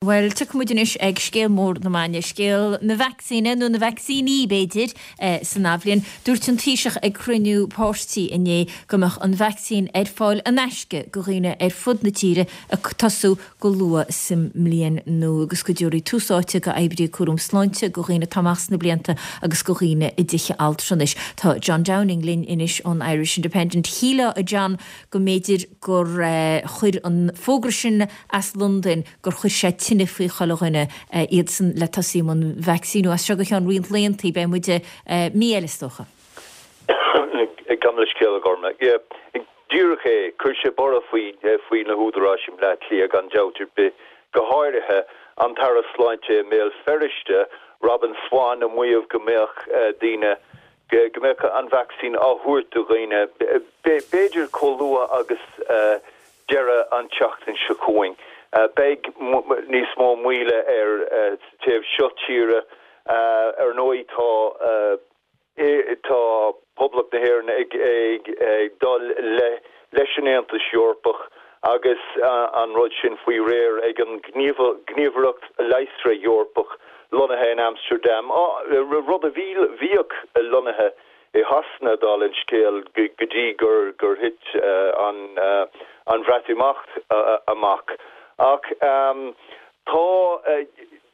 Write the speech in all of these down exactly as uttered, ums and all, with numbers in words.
Bhuel, tiocfaidh muid anois ag scéal mór na maidine, scéal na vacsaíne, nó na vacsaíní, b'fhéidir, san athbhliain. Dúirt an Taoiseach ag cruinniú páirtí inné go mbeadh an vacsaín ar fáil in aisce go dhaoine ar fud na tíre ag tosú go luath sa mbliain nua agus go dtabharfaí tús áite go oibrithe cúram sláinte, go dhaoine atá amach sna blianta agus go dhaoine i dtithe altranais. Tá John Downing linn anois ón Irish Independent. Shílfeá, a John, go mb'fhéidir gur chuir an fógra sin as Londain, gur chuir sé tine faoi chuile dhuine, iadsan le tosaí i mbun vacsaíniú as seo go ceann roinnt laethanta, beidh muid mí eile is dócha. Gabh mo leithscéal, a Ghormfhlaith. Yeah, díreach é, chuir sé borradh faoi faoi na húdaráis i mBleá Cliath gan dabht ar bith, go háirithe an tAire Sláinte i mBéal Feirste, Robin Swann, ag maíomh go mbeadh daoine, go mbeadh an vacsaín á thabhairt do dhaoine, b'fhéidir chomh luath agus deireadh an tseachtain seo chugainn. Beidh níos mó moille air sa taobh seo tíre. Ar ndóigh tá tá Poblacht na hÉireann ag dul leis an Aontas Eorpach agus an rud sin faoi réir ag an nGníomhaireacht Leigheasra Eorpach lonnaithe in Amsterdam, rud a bhíodh lonnaithe i Shasana, dála an scéil, go dtí gur gur thit an Bhreatimeacht amach. Ach tá,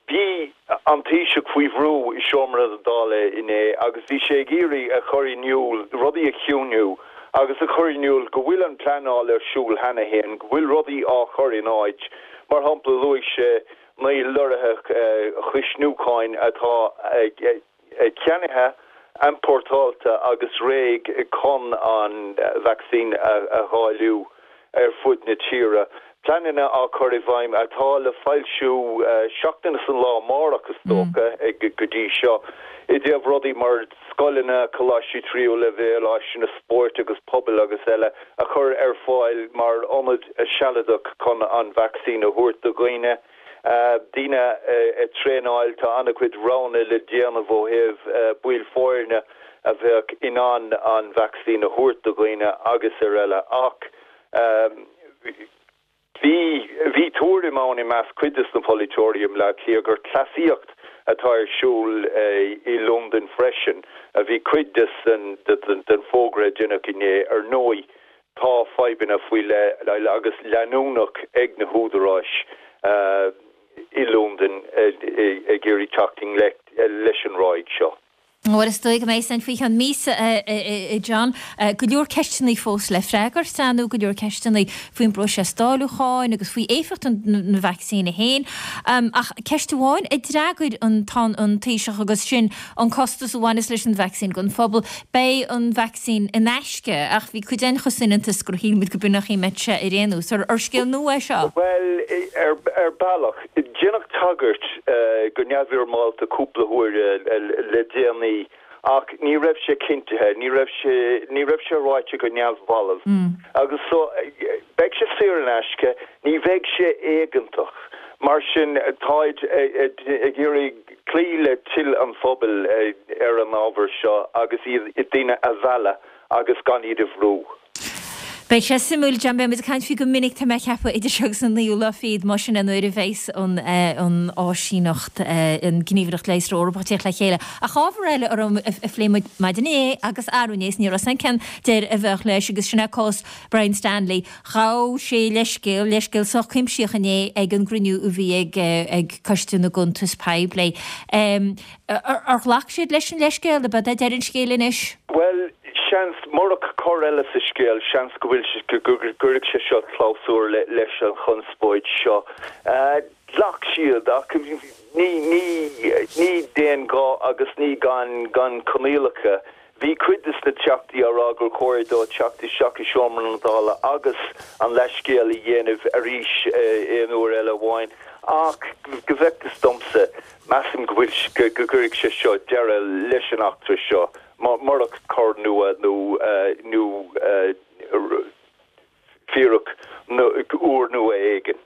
bhí an Taoiseach faoi bhrú i seomra na Dála inné agus bhí sé ag iarraidh a chur in iúl, rudaí a chiúnú agus a chur in iúl go bhfuil an pleanáil ar siúl cheana féin, go bhfuil rudaí á chur in áit. Mar shampla, luaigh sé naoi lorraithe chuisniúcháin atá ceannaithe, iompórtáilte agus réidh chun an vacsaín a dháileadh ar fud na tíre. Pleananna á cur i bhfeidhm atá le foilsiú seachtain is an lá amárach is dócha go dtí seo i dtaobh rudaí mar scoileanna, coláistí tríú leibhéal, áiseanna spóirt agus pobail agus eile a chur ar fáil mar ionad sealadach chun an vacsaín a thabhairt do dhaoine. Daoine a traenáil, tá an-chuid roghanna le déanamh ó thaobh baill foirne a bheadh in ann an vacsaín a thabhairt do dhaoine agus ar eile ach bhí bhí tuairim ann i measc cuid de na polaiteoirí i mBleá Cliath gur cleasaíocht atá ar siúl i Londain freisin a bhí cuid den fógra a deineadh inné. Ar ndóigh tá fadhbanna faoi leith agus leanúnach ag na húdaráis i Londain ag iarraidh teacht i ngleic leis an ráig seo. Bhuel, is dóigh go mbeidh san faoi cheann míosa, a John. Go leor ceisteanna fós le freagairt, nó go leor ceisteanna faoin bpróiseas dáiliúcháin agus faoi éifeacht na vacsaíne féin. Ach ceist amháin a d'fhreagair an an Taoiseach agus sin an costas a bhaineas leis an vacsaín don phobal. Beidh an vacsaín in aisce, ach bhí cuid den chosanta gur shíl muid go b'in nach mbeadh sé ar aon nós. Ar scéal nua é seo? Bhuel, ar bealach, deineadh tagairt go neamhfhoirmeálta cúpla huair le déanaí ach ní raibh sé cinntithe, ní raibh sé ní raibh sé ráite go neamhbhalbh. Agus so beidh sé saor in aisce, ní bheidh sé éigeantach. Mar sin táid ag iarraidh cloí le toil an phobail ar an ábhar seo agus iad daoine a mhealladh agus gan iad a bhrú. Beidh sé suimiúil, John, beidh muid ag caint faoi go minic, tá mé ag ceapadh, idir seo agus an naoú lá fichead, mar sin an uair a bheas an an áisíneacht, an Gníomhaireacht Leigheasra Eorpach ag teacht le chéile. Ach ábhar eile a raibh a phléigh muid maidin inné agus arú inné is ní raibh san cén deireadh a bheadh leis agus sin é cás Brian Stanley. Ghabh sé leithscéal, leithscéal sách cuimsitheach inné ag an gcruinniú a bhí ag ag Coiste na gCuntas Poiblí. Ar ghlac siad leis an leithscéal, ab é deireadh an scéil anois? Bhuel, seans, murach cor eile sa scéal, seans go bhfuil go gcuirfeadh sé seo clabhsúr leis an chonspóid seo. Ghlac siad ach ní ní ní d'aon ghuth agus ní gan gan coinníollacha. Bhí cuid de na teachtaí á rá gur chóir dó teacht isteach i seomra na Dála agus an leithscéal a dhéanamh arís aon uair eile amháin ach go bhfeictear domsa, measaim go bhfuil go gcuirfidh sé seo deireadh leis an eachtra seo murach cor nua nó nó fíric úr nua éigin.